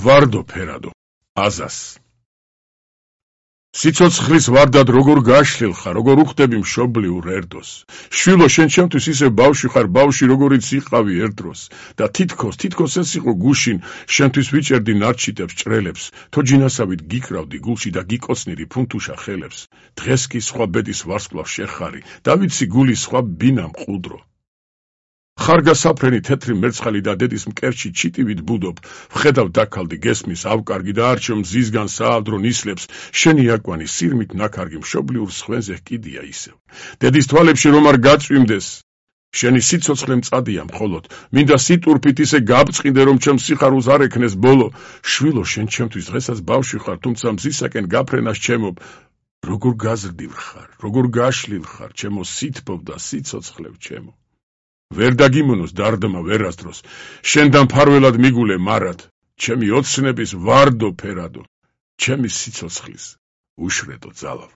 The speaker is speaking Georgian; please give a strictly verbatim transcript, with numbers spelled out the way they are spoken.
ვარდო ფერადო, აზას. სიცოცხლის ვარდად როგორ გაშლილ ხარ, როგორ უხდები მშობლიურ ერდოს. შვილო, შენ ჩემთვის ისე ბავშვი ხარ, ბავშვი როგორიც იყავი ერთ დროს. და თითქოს, თითქოს ეს იყო გუშინ, შენთვის ვიჭერდი ნარჩიტებს, ჭრელებს, თოჯინასავით გიკრავდი გულში და გიკოცნიდი ფუნთუშა ხელებს. დღეს კი სხვა ბედის ვარსკვლავს შეხარი, და ვიცი გულის სხვა ბინა მყუდრო. ხარგასაფრენი თეთრი მერცხალი და დედის მკერჩი ჩიტივით ბუდობ, ვხედავ დაქალდი გესმის ავკარგი და არჩევ მზისგან საავდრო ნისლებს, შენი აკვანი სირმით ნაქარგი მშობლიურ სხვენზე კიდია ისევ. დედის თვალებში რომ არ გაწვიმდეს, შენი სიცოცხლე მწადია მხოლოდ, მინდა სიტურფით ისე გაბწყინდე რომ ჩემს სიხარულს არ ექნეს ბოლო. შვილო, შენ ჩემთვის დღესაც ბავშვი ხარ, თუმცა მზისაკენ გაფრენას ჩემობ. როგორ გაზრდილ ხარ, როგორ გაშლილ ხარ, ჩემო სითბობ და სიცოცხლევ ჩემო. ვერ დაგიმონოს დარდმა ვერასდროს, შენთან ფარველად მიგულე მარად, ჩემი ოცნების ვარდო ფერადო, ჩემი სიცოცხლის უშრედო ძალავ.